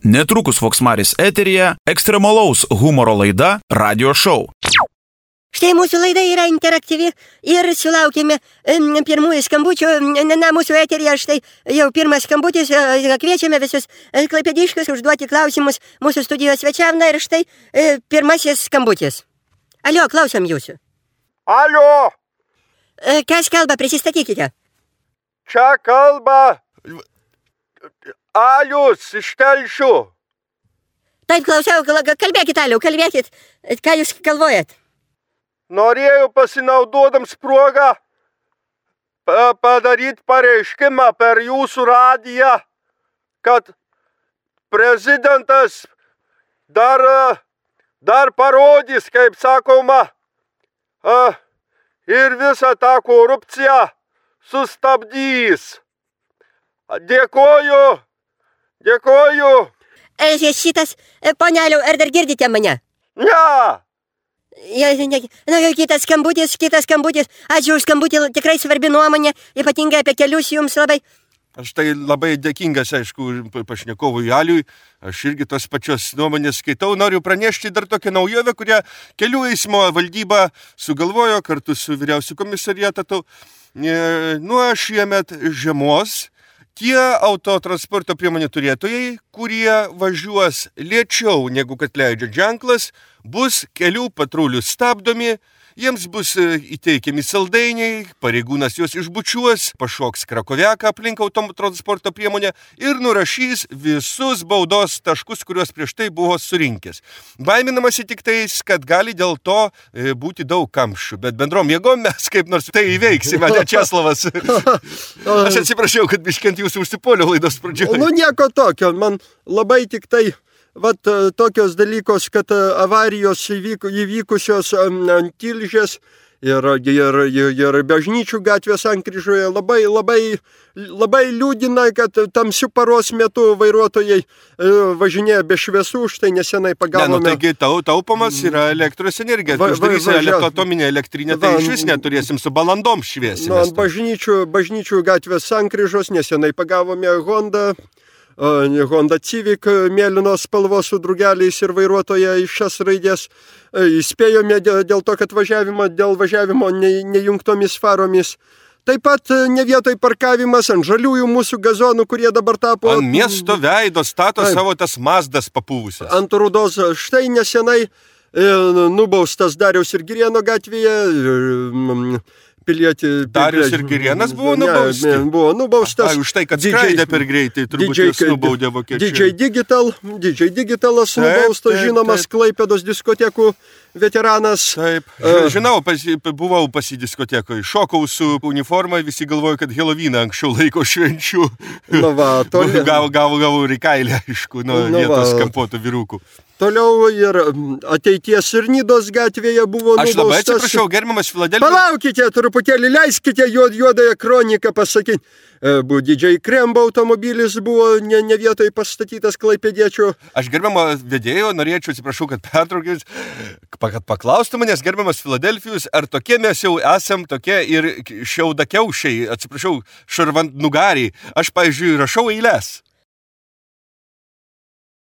Netrukus Voksmaris eteryje ekstremalaus humoro laida Radio Show. Štai mūsų laida yra interaktyvi ir sulaukėme pirmųjų skambučių. Mūsų eteryje štai jau pirmas skambutis. Kviečiame visus klaipėdiškius užduoti klausimus mūsų studijos svečiam. Ir štai pirmasis skambutis. Alio, klausom jūsų. Alio! Kas kalba, prisistatykite. Čia kalba Alius iš Telšių. Taip, klausau, kalbėkit, Aliu, kalbėkit. Ką jūs galvojat? Norėjau pasinaudodams progą padaryti pareiškimą per jūsų radiją, kad prezidentas dar parodys, kaip sakoma, ir visą tą korupciją sustabdys. Dėkoju. Šitas, poneliau, ar dar girdite mane? Ne. Kitas skambutis. Ačiū už skambutį, tikrai svarbi nuomonė, ypatingai apie kelius jums labai. Aš tai labai dėkingas, aišku, pašnekovui Aliui. Aš irgi tos pačios nuomonės skaitau. Noriu pranešti dar tokią naujovę, kurią kelių eismo valdyba sugalvojo kartu su vyriausiu komisariatu. Nuo šiemet žiemos tie autotransporto priemonių turėtojai, kurie važiuos lėčiau negu kad leidžia ženklas, bus kelių patrulių stabdomi, jiems bus įteikiami saldainiai, pareigūnas juos išbučiuos, pašoks krakoviaką aplink autotransporto priemonę ir nurašys visus baudos taškus, kuriuos prieš tai buvo surinkęs. Baiminamasi tik tais, kad gali dėl to būti daug kamščių, bet bendrom jėgom mes kaip nors tai įveiksime, ne Česlavas. Aš atsiprašau, kad biškent jūsų užsipolio laidos pradžioje. Nieko tokio, man labai tik tai tokios dalykos, kad avarijos įvykusios ant Tilžės ir Bažnyčių gatvės sankryžoje labai liūdina, kad tamsiu paros metu vairuotojai važinėja be šviesų, štai nesenai pagavome. Taigi taupomas yra elektros energija. Uždarysime atominę elektrinę, tai iš vis neturėsim su balandom šviesi. Ant Bažnyčių gatvės sankryžos nesenai pagavome Honda Civic mėlynos spalvos su drugeliais ir vairuotoja iš šias raidės. Įspėjome dėl to, kad dėl važiavimo nejungtomis faromis. Taip pat ne vietoj parkavimas ant žaliųjų mūsų gazonų, kurie dabar tapo... Ant miesto veido stato savo tas Mazdas papūvusias. Ant rudos štai nesenai nubaustas Dariaus ir Girėno gatvėje. Darius ir Girėnas buvo nubausti. Buvo nubaustas. Už tai, kad skraidė per greitai, turbūt jis nubaudė Vokiečiai. DJ Digitalas nubaustas, žinomas Klaipėdos diskotekų veteranas. Taip, žinau, buvau pas į diskotekoje, šokau su uniforma, visi galvoja, kad Helovyną anksčiau laiko švenčių. Gavau rikailę, aišku, nuo vietos kampuotų vyrukų. Toliau ir ateities ir Nidos gatvėje buvo nubaustas. Aš labai atsiprašau, gerbiamas Filadelfijos. Palaukite, truputėlį leiskite juodąją kroniką pasakyti. DJ Krembo automobilis buvo ne vietoj pastatytas klaipėdiečių. Aš gerbiamo vedėjo norėčiau, atsiprašau, kad pertraukės, kad paklaustų manęs, gerbiamas Filadelfijos, ar tokie mes jau esam tokie ir šiaudakiaušiai, atsiprašau, šarvantnugariai. Aš, pavyzdžiui, rašau eiles.